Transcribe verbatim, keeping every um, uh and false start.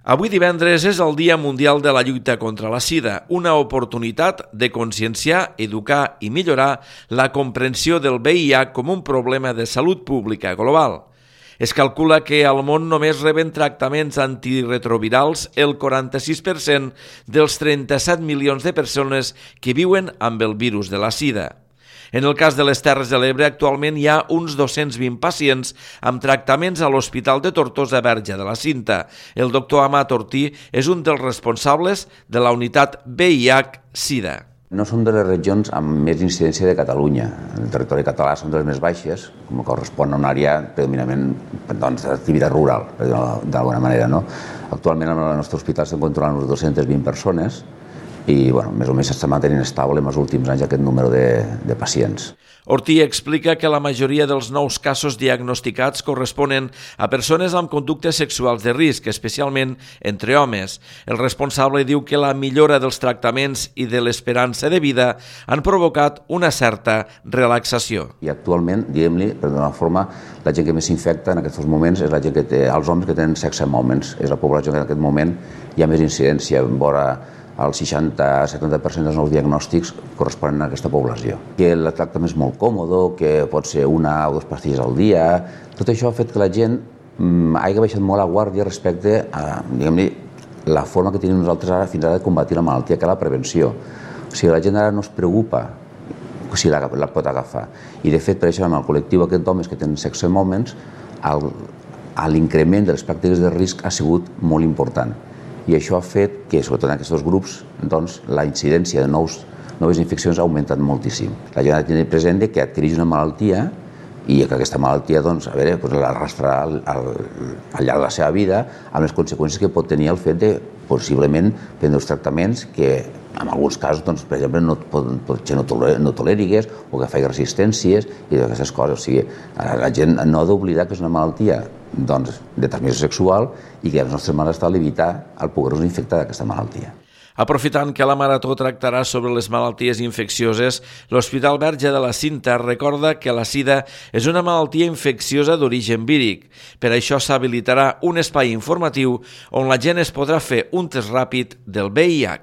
Avui divendres és el Dia Mundial de la Lluita contra la Sida, una oportunitat de conscienciar, educar i millorar la comprensió del V I H com un problema de salut pública global. Es calcula que al món només reben tractaments antiretrovirals el quaranta-sis per cent dels trenta-set milions de persones que viuen amb el virus de la sida. En el cas de les Terres de l'Ebre, actualment hi ha uns dos-cents vint pacients amb tractaments a l'Hospital de Tortosa Verge de la Cinta. El doctor Amat Ortí és un dels responsables de la unitat V I H SIDA. No som de les regions amb més incidència de Catalunya. El territori català són de les més baixes, com correspon a una àrea predominantment doncs, d'activitat rural, d'alguna manera. No? Actualment al nostre hospital estem controlant unes dos-centes vint persones i bueno, més o menys s'està mantenint estable en els últims anys aquest número de, de pacients. Ortí explica que la majoria dels nous casos diagnosticats corresponen a persones amb conductes sexuals de risc, especialment entre homes. El responsable diu que la millora dels tractaments i de l'esperança de vida han provocat una certa relaxació. I actualment, diguem-li, per d'una forma, la gent que més s'infecta en aquests moments és la gent que té, els homes que tenen sexe amb homes. És la població que en aquest moment hi ha més incidència, vora el seixanta a setanta per cent dels nous diagnòstics corresponen a aquesta població. Que el tractament és molt còmode, que pot ser una o dues pastilles al dia. Tot això ha fet que la gent mm, hagi baixat molt la guàrdia respecte a, diguem-li, la forma que tenim nosaltres ara fins ara de combatir la malaltia, que és la prevenció. O sigui, la gent ara no es preocupa si la, la pot agafar. I de fet, per això, en el col·lectiu aquest d'homes que tenen sexe amb homes, l'increment de les pràctiques de risc ha sigut molt important. I això ha fet que, sobretot en aquests dos grups, doncs, la incidència de nous, noves infeccions ha augmentat moltíssim. La gent ha de tenir present que adquireix una malaltia i que aquesta malaltia doncs, a veure, doncs, l'arrastrarà al, al, al llarg de la seva vida amb les conseqüències que pot tenir el fet de possiblement prendre els tractaments que en alguns casos, doncs, per exemple, no, pot, potser no, toler, no tolèriques o que faci resistències i aquestes coses. O sigui, la gent no ha d'oblidar que és una malaltia doncs, de transmissió sexual i que els nostres mares estan a evitar el poder-nos infectar d'aquesta malaltia. Aprofitant que la Marató tractarà sobre les malalties infeccioses, l'Hospital Verge de la Cinta recorda que la sida és una malaltia infecciosa d'origen víric. Per això s'habilitarà un espai informatiu on la gent es podrà fer un test ràpid del V I H.